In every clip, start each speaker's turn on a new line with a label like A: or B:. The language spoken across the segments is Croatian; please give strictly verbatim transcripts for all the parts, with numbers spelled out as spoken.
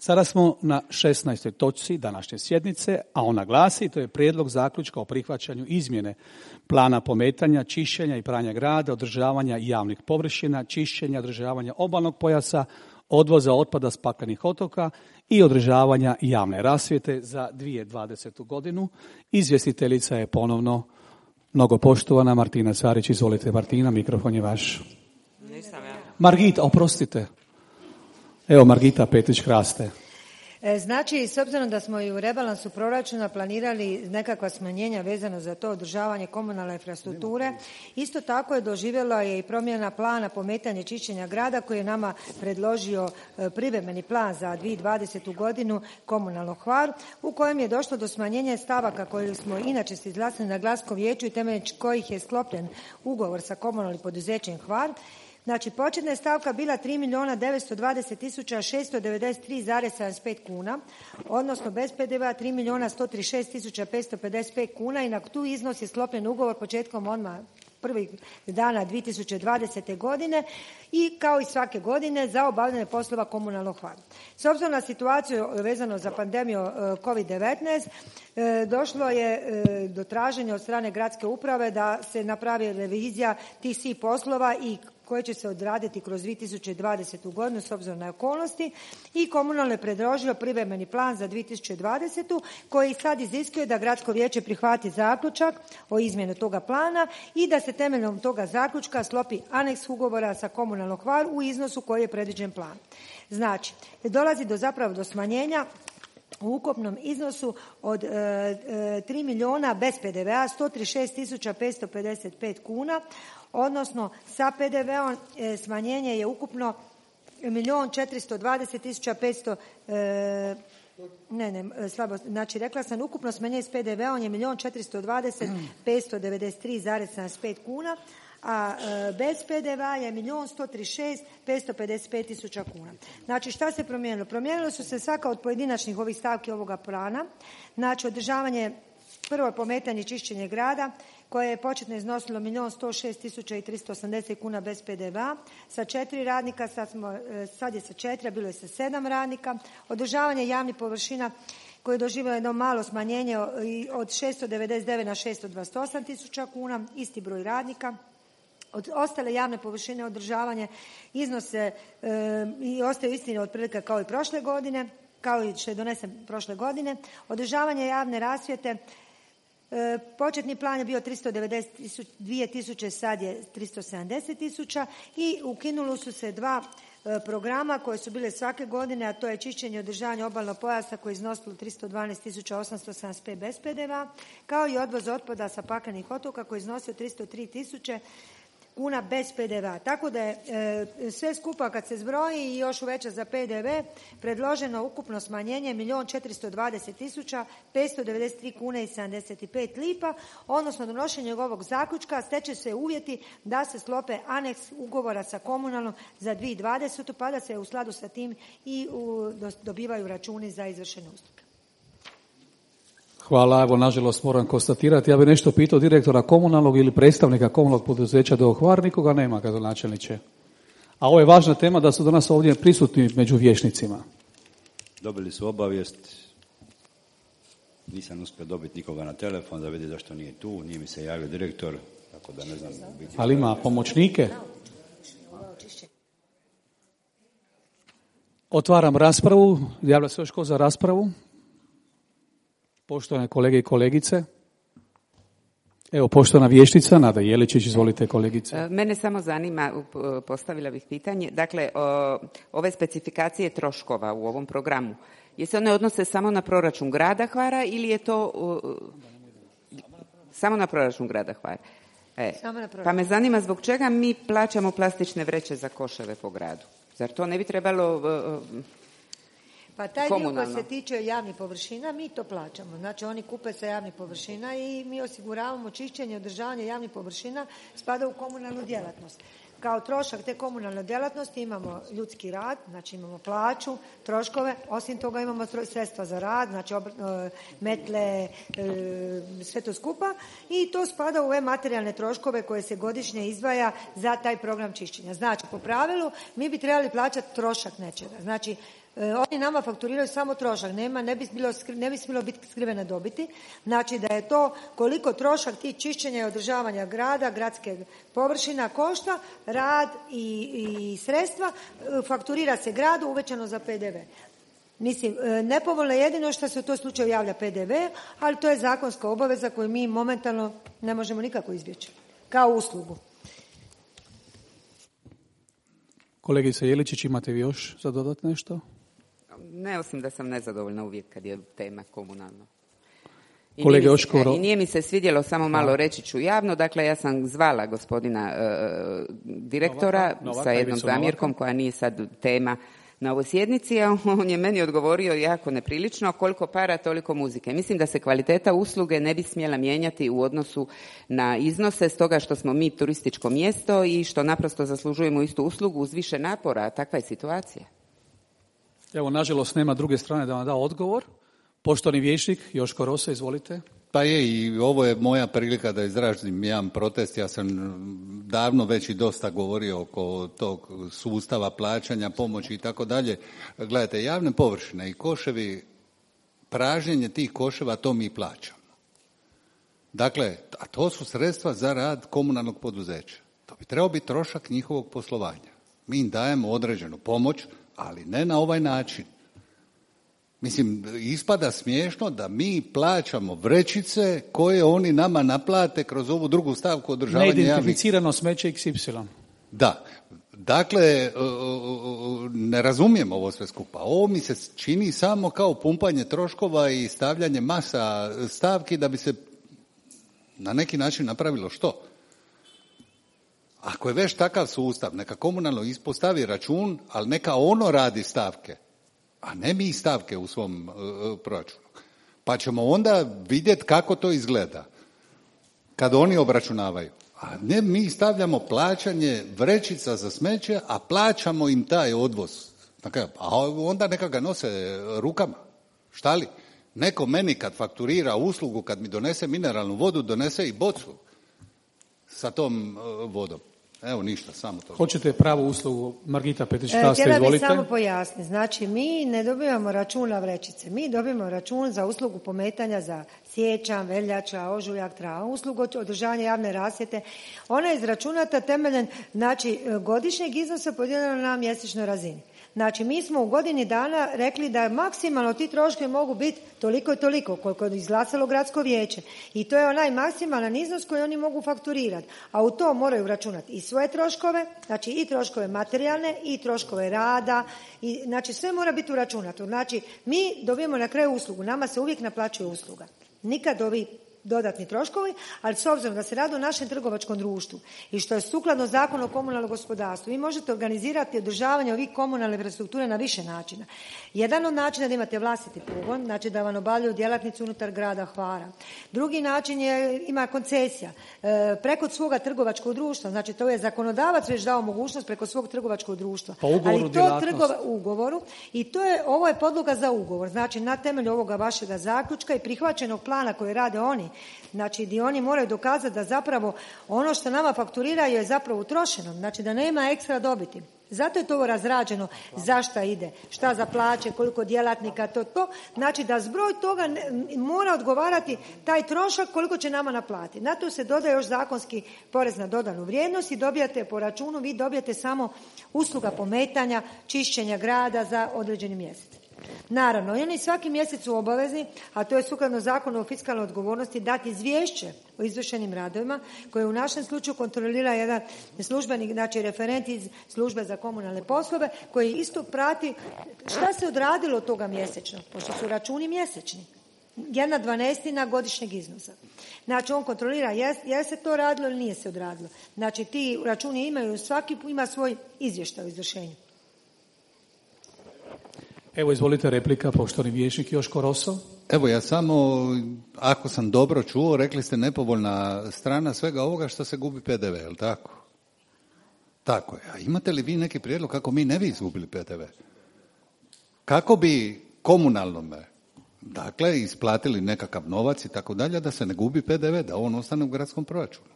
A: Sada smo na šesnaestoj točci današnje sjednice, a ona glasi, to je prijedlog zaključka o prihvaćanju izmjene plana pometanja, čišćenja i pranja grada, održavanja javnih površina, čišćenja, održavanja obalnog pojasa, odvoza otpada s paklenih otoka i održavanja javne rasvjete za dvije tisuće dvadesetu godinu. Izvjestiteljica je ponovno mnogo poštovana Martina Carić. Izvolite Martina, mikrofon je vaš.
B: Nisam ja.
A: Margita, oprostite. Evo Margita Petrić-Hraste.
C: Znači, s obzirom da smo i u rebalansu proračuna planirali nekakva smanjenja vezano za to održavanje komunalne infrastrukture, isto tako je doživjela je i promjena plana pometanja i čišćenja grada koji je nama predložio privremeni plan za dvije tisuće dvadesetu godinu komunalno Hvar, u kojem je došlo do smanjenja stavaka koje smo inače se izglasali na gradskom vijeću i temeljem kojih je sklopljen ugovor sa komunalnim poduzećem Hvar. Znači, početna je stavka bila tri milijuna devetsto dvadeset tisuća šesto devedeset tri zarez sedamdeset pet kuna, odnosno bez pe de ve a tri milijuna sto trideset šest tisuća petsto pedeset pet kuna i na tu iznos je sklopljen ugovor početkom odmah prvih dana dvije tisuće dvadesete godine i kao i svake godine za obavljanje poslova komunalnog Hvar. S obzirom na situaciju vezano za pandemiju kovid devetnaest, došlo je do traženja od strane gradske uprave da se napravi revizija tih svih poslova i koje će se odraditi kroz dvije tisuće dvadesetu godinu s obzirom na okolnosti i komunalno je predložilo privremeni plan za dvije tisuće dvadesetu koji sad iziskuje da gradsko vijeće prihvati zaključak o izmjeni toga plana i da se temeljem toga zaključka sklopi aneks ugovora sa komunalnom Hvar u iznosu koji je predviđen plan. Znači, dolazi do zapravo do smanjenja u ukupnom iznosu od e, e, tri milijuna bez pe de ve a sto trideset šest tisuća petsto pedeset pet kuna, odnosno sa pe de ve om e, smanjenje je ukupno milijun četiristo dvadeset tisuća petsto e, ne, ne, slabo, znači rekla sam ukupno smanjenje s pe de ve om je milijun četiristo dvadeset petsto devedeset tri zarez sedamdeset pet kuna, a e, bez pe de ve a je milijun sto trideset šest petsto pedeset pet tisuća kuna. Znači, šta se promijenilo? Promijenilo su se svaka od pojedinačnih ovih stavki ovoga plana. Znači, održavanje, prvo pometanje i čišćenje grada koje je početno iznosilo milijun sto šest tisuća i tristo osamdeset kuna bez pe de ve a sa četiri radnika, sad, smo, sad je sa četiri, a bilo je sa sedam radnika. Održavanje javnih površina koje je doživjelo jedno malo smanjenje od šesto devedeset devet na šesto dvadeset osam tisuća kuna, isti broj radnika. Od ostale javne površine održavanje iznose e, i ostaju istine otprilike kao i prošle godine, kao i što je donesen prošle godine. Održavanje javne rasvjete, e, početni plan je bio tristo devedeset dvije tisuće, sad je tristo sedamdeset tisuća i ukinuli su se dva e, programa koje su bile svake godine, a to je čišćenje i održavanje obalnog pojasa koje je iznosilo tristo dvanaest tisuća osamsto sedamdeset pet bez pe de ve a, kao i odvoz otpada sa paklenih otoka koji je iznosio tristo tri tisuće kuna bez pe de ve a. Tako da je e, sve skupa kad se zbroji i još uveća za pe de ve predloženo ukupno smanjenje milijun četiristo dvadeset tisuća petsto devedeset tri kune i sedamdeset pet lipa, odnosno donošenje ovog zaključka steče se uvjeti da se sklope aneks ugovora sa komunalnom za dvije tisuće dvadesetu pa da se u skladu sa tim i u, do, dobivaju računi za izvršene usluge.
A: Hvala, evo nažalost moram konstatirati, ja bih nešto pitao direktora komunalnog ili predstavnika komunalnog poduzeća do Hvar, nikoga nema gradonačelniče. A ovo je važna tema da su danas ovdje prisutni među vijećnicima.
D: Dobili su obavijest, nisam uspio dobiti nikoga na telefon da vidi zašto nije tu, nije mi se javio direktor, tako da ne znam.
A: Ali ima pomoćnike? Otvaram raspravu, javlja se još ko za raspravu? Poštovane kolege i kolegice, evo poštovana vijećnica Nada Jeličić, izvolite kolegice.
B: Mene samo zanima, postavila bih pitanje, dakle o, ove specifikacije troškova u ovom programu, je se one odnose samo na proračun grada Hvara ili je to o, samo na proračun grada Hvara? E,
C: samo na proračun.
B: Pa me zanima zbog čega mi plaćamo plastične vreće za koševe po gradu? Zar to ne bi trebalo... O,
C: Pa taj dio koji se tiče javnih površina, mi to plaćamo. Znači, oni kupe sa javnih površina i mi osiguravamo čišćenje i održavanje javnih površina, spada u komunalnu djelatnost. Kao trošak te komunalne djelatnosti imamo ljudski rad, znači imamo plaću, troškove, osim toga imamo sredstva za rad, znači metle, sve to skupa i to spada u ove materijalne troškove koje se godišnje izdvaja za taj program čišćenja. Znači, po pravilu mi bi trebali plaćati trošak nečega. Znači, oni nama fakturiraju samo trošak, nema, ne bi bilo, ne bi smjelo biti skrivene dobiti. Znači da je to koliko trošak tih čišćenja i održavanja grada, gradske površina košta, rad i, i sredstva, fakturira se gradu uvećano za P D V. Mislim, nepovoljno je jedino što se u tom slučaju javlja P D V, ali to je zakonska obaveza koju mi momentalno ne možemo nikako izbjeći, kao uslugu.
A: Kolegice Jeličić, imate vi još za dodati nešto?
B: Ne, osim da sam nezadovoljna uvijek kad je tema komunalna. I
A: Kolege
B: nije, mi se,
A: Oškoro...
B: I nije mi se svidjelo, samo malo reći ću javno, dakle ja sam zvala gospodina uh, direktora
A: Novaka, Novaka,
B: sa jednom
A: Ivicu
B: zamjerkom
A: Novaka,
B: koja nije sad tema na ovoj sjednici, a on je meni odgovorio jako neprilično, koliko para, toliko muzike. Mislim da se kvaliteta usluge ne bi smjela mijenjati u odnosu na iznose, stoga što smo mi turističko mjesto i što naprosto zaslužujemo istu uslugu uz više napora, a takva je situacija.
A: Evo, nažalost, nema druge strane da vam da odgovor. Poštovani vijećnik Joško Rosa, izvolite.
E: Pa je, i ovo je moja prilika da izrazim jedan protest. Ja sam davno već i dosta govorio oko tog sustava plaćanja, pomoći i tako dalje. Gledajte, javne površine i koševi, pražnjenje tih koševa, to mi plaćamo. Dakle, a to su sredstva za rad komunalnog poduzeća. To bi trebao biti trošak njihovog poslovanja. Mi im dajemo određenu pomoć, ali ne na ovaj način. Mislim, ispada smiješno da mi plaćamo vrećice koje oni nama naplate kroz ovu drugu stavku održavanja javnih...
A: Neidentificirano smeće iks ipsilon.
E: Da. Dakle, ne razumijem ovo sve skupa. Ovo mi se čini samo kao pumpanje troškova i stavljanje masa stavki da bi se na neki način napravilo što? Ako je već takav sustav, neka komunalno ispostavi račun, ali neka ono radi stavke, a ne mi stavke u svom uh, proračunu. Pa ćemo onda vidjeti kako to izgleda kad oni obračunavaju. A ne mi stavljamo plaćanje vrećica za smeće, a plaćamo im taj odvoz. A onda neka ga nose rukama. Šta li? Neko meni kad fakturira uslugu, kad mi donese mineralnu vodu, donese i bocu sa tom uh, vodom. Evo ništa, samo to.
A: Hoćete pravu uslugu, Margita Petrić-Kasta,
C: Htjela
A: izvolite.
C: bih samo pojasniti. Znači, mi ne dobivamo račun na vrećice. Mi dobivamo račun za uslugu pometanja za siječanj, veljača, ožujak, travanj, uslugu održavanja javne rasvjete. Ona je izračunata temeljem, znači, godišnjeg iznosa podijeljeno na mjesečnoj razini. Znači, mi smo u godini dana rekli da maksimalno ti troškovi mogu biti toliko i toliko, koliko je izglasalo gradsko vijeće. I to je onaj maksimalan iznos koji oni mogu fakturirati. A u to moraju računati i svoje troškove, znači i troškove materijalne, i troškove rada, i, znači sve mora biti uračunato. Znači, mi dobijemo na kraju uslugu, nama se uvijek naplaćuje usluga. Nikad ovi dodatni troškovi, ali s obzirom da se radi o našem trgovačkom društvu i što je sukladno Zakonu o komunalnom gospodarstvu, vi možete organizirati održavanje ovih komunalne infrastrukture na više načina. Jedan od načina da imate vlastiti pogon, znači da vam obavljaju djelatnici unutar grada Hvara. Drugi način je, ima koncesija e, preko svoga trgovačkog društva, znači to je zakonodavac već dao mogućnost preko svog trgovačkog društva.
A: Pa ugovoru
C: ali to trgova, ugovoru i to je, ovo je podloga za ugovor, znači na temelju ovoga vašega zaključka i prihvaćenog plana koje rade oni, znači gdje oni moraju dokazati da zapravo ono što nama fakturiraju je zapravo utrošeno, znači da nema ekstra dobiti. Zato je to ovo razrađeno, zašta ide, šta za plaće, koliko djelatnika, to, to. Znači da zbroj toga ne, mora odgovarati taj trošak koliko će nama naplatiti. Na to se dodaje još zakonski porez na dodanu vrijednost i dobijate po računu, vi dobijate samo usluga pometanja, čišćenja grada za određeni mjesec. Naravno, oni svaki mjesec su obavezni, a to je sukladno Zakonu o fiskalnoj odgovornosti, dati izvješće o izvršenim radovima, koje u našem slučaju kontrolira jedan službenik, znači referent iz službe za komunalne poslove, koji isto prati šta se odradilo od toga mjesečno, pošto su računi mjesečni. Jedna dvanaestina godišnjeg iznosa. Znači, on kontrolira je, je se to radilo ili nije se odradilo. Znači, ti računi imaju, svaki ima svoj izvještaj o izvršenju.
A: Evo, izvolite replika, poštovani vijećnik Joško Roso.
E: Evo, ja samo, ako sam dobro čuo, rekli ste nepovoljna strana svega ovoga što se gubi P D V, je li tako? Tako je. A imate li vi neki prijedlog kako mi ne bi izgubili P D V? Kako bi komunalnome, dakle, isplatili nekakav novac i tako dalje, da se ne gubi P D V, da on ostane u gradskom proračunu?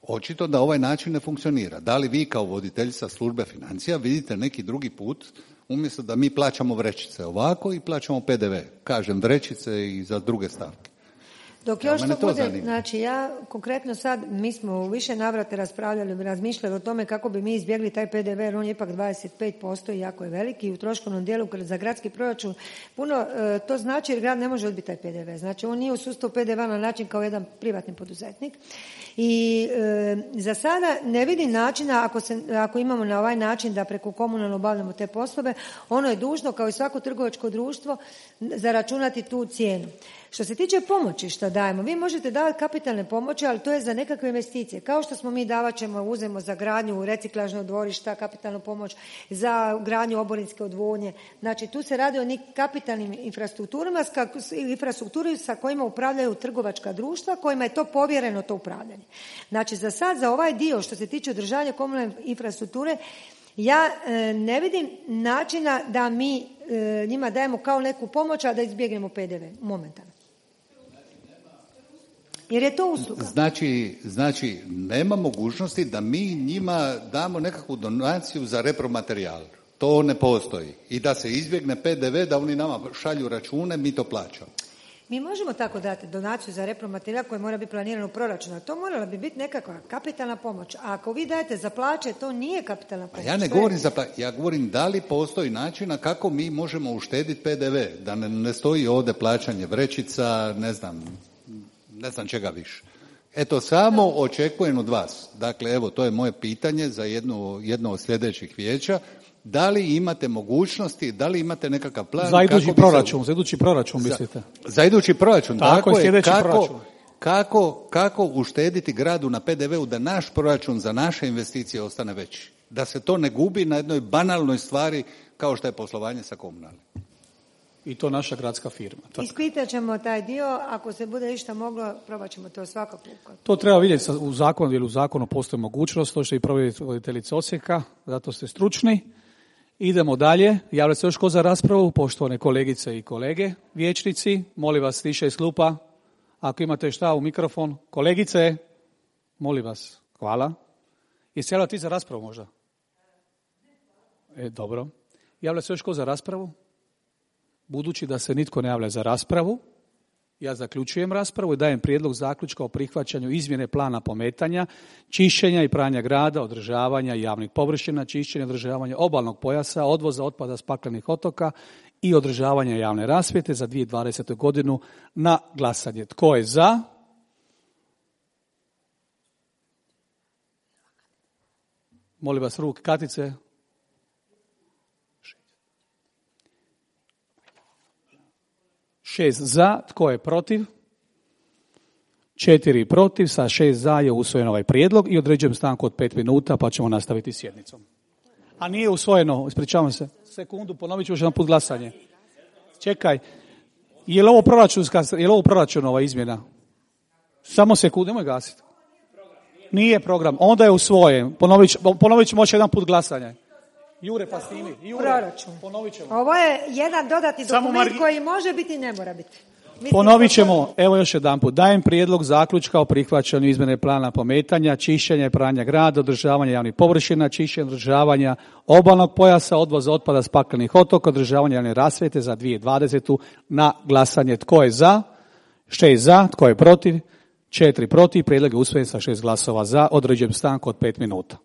E: Očito da ovaj način ne funkcionira. Da li vi kao voditeljica službe financija vidite neki drugi put Umjesto da mi plaćamo vrećice ovako i plaćamo P D V. Kažem vrećice i za druge stavke.
C: Dok
E: Ja,
C: još
E: mene
C: to
E: to
C: bude,
E: zanima.
C: znači ja konkretno sad, mi smo u više navrata raspravljali, razmišljali o tome kako bi mi izbjegli taj P D V, jer on je ipak dvadeset pet posto i jako je veliki i u troškovnom dijelu za gradski proračun puno, e, to znači jer grad ne može odbiti taj P D V. Znači on nije u sustavu P D V na način kao jedan privatni poduzetnik. I e, za sada ne vidim načina ako, se, ako imamo na ovaj način da preko komunalno obavljamo te poslove, ono je dužno kao i svako trgovačko društvo zaračunati tu cijenu. Što se tiče pomoći što dajemo, vi možete davati kapitalne pomoći, ali to je za nekakve investicije. Kao što smo mi davat ćemo, uzemo za gradnju reciklažnog dvorišta, kapitalnu pomoć za gradnju oborinske odvodnje. Znači tu se radi o nekim kapitalnim infrastrukturama, infrastrukturi sa kojima upravljaju trgovačka društva, kojima je to povjereno to upravljanje. Znači za sad, za ovaj dio što se tiče održavanja komunalne infrastrukture, ja e, ne vidim načina da mi e, njima dajemo kao neku pomoć, a da izbjegnemo P D V momentalno. Jer je to usluga.
E: Znači, znači, nema mogućnosti da mi njima damo nekakvu donaciju za repromaterijal. To ne postoji. I da se izbjegne P D V, da oni nama šalju račune, mi to plaćamo.
C: Mi možemo tako dati donaciju za repromaterijal koji mora biti planiran u proračunu. To morala bi biti nekakva kapitalna pomoć. A ako vi dajete za plaće, to nije kapitalna pomoć.
E: A ja ne govorim za plaće, ja govorim da li postoji načina kako mi možemo uštediti P D V, da ne, ne stoji ovdje plaćanje vrećica, ne znam, ne znam čega više. Eto, samo očekujem od vas. Dakle, evo, to je moje pitanje za jedno, jedno od sljedećih vijeća. Da li imate mogućnosti, da li imate nekakav plan?
A: Za idući
E: kako
A: proračun,
E: se...
A: za idući proračun mislite?
E: Za, za idući proračun,
A: tako,
E: tako
A: je,
E: je.
A: sljedeći
E: Kako,
A: proračun.
E: kako, kako uštediti gradu na P D V-u da naš proračun za naše investicije ostane veći? Da se to ne gubi na jednoj banalnoj stvari kao što je poslovanje sa komunalnim.
A: I to naša gradska firma. Tako.
C: Ispitat ćemo taj dio, ako se bude išta moglo, probat ćemo to svakako.
A: To treba vidjeti u zakonu, jer u zakonu postoji mogućnost, to što i provjeriti voditeljica Osijeka, zato ste stručni. Idemo dalje. Javlja se još ko za raspravu, poštovane kolegice i kolege, vijećnici, molim vas tiše iz klupa. Ako imate šta u mikrofon, kolegice, molim vas, hvala. Jesi javlja ti za raspravu možda? E, dobro. Javlja se još ko za raspravu? Budući da se nitko ne javlja za raspravu, ja zaključujem raspravu i dajem prijedlog zaključka o prihvaćanju izmjene plana pometanja, čišćenja i pranja grada, održavanja javnih površina, čišćenja i održavanja obalnog pojasa, odvoza otpada s paklenih otoka i održavanja javne rasvjete za dvije tisuće dvadesete. godinu na glasanje. Tko je za? Molim vas ruke, Katice. Šest za, tko je protiv? Četiri protiv, sa šest za je usvojen ovaj prijedlog i određujem stanku od pet minuta pa ćemo nastaviti sjednicom. A nije usvojeno, ispričavam se. Sekundu, ponovit ću još jedan put glasanje. Čekaj, je li ovo proračunska, je li ovo proračunova izmjena? Samo sekundu, nemoj gasiti. Nije program, onda je usvojen. Ponovit, ponovit ćemo još jedan put glasanje. Jure, pa snimi. Jure,
C: proračun.
A: Ponovit ćemo.
C: Ovo je jedan dodatni dokument margi... koji može biti i ne mora biti. Mislim,
A: Ponovit ćemo, evo još jedan put. Dajem prijedlog zaključka o prihvaćanju izmjene plana pometanja, čišćenja i pranja grada, održavanja javnih površina, čišćenja i održavanja obalnog pojasa, odvoza otpada s paklenih otoka, održavanja javne rasvjete za dvije tisuće dvadesetu. na glasanje. Tko je za? Šest za. Tko je protiv? Četiri protiv. Prijedlog je usvojen sa šest glasova za. Određujem stanku od pet minuta.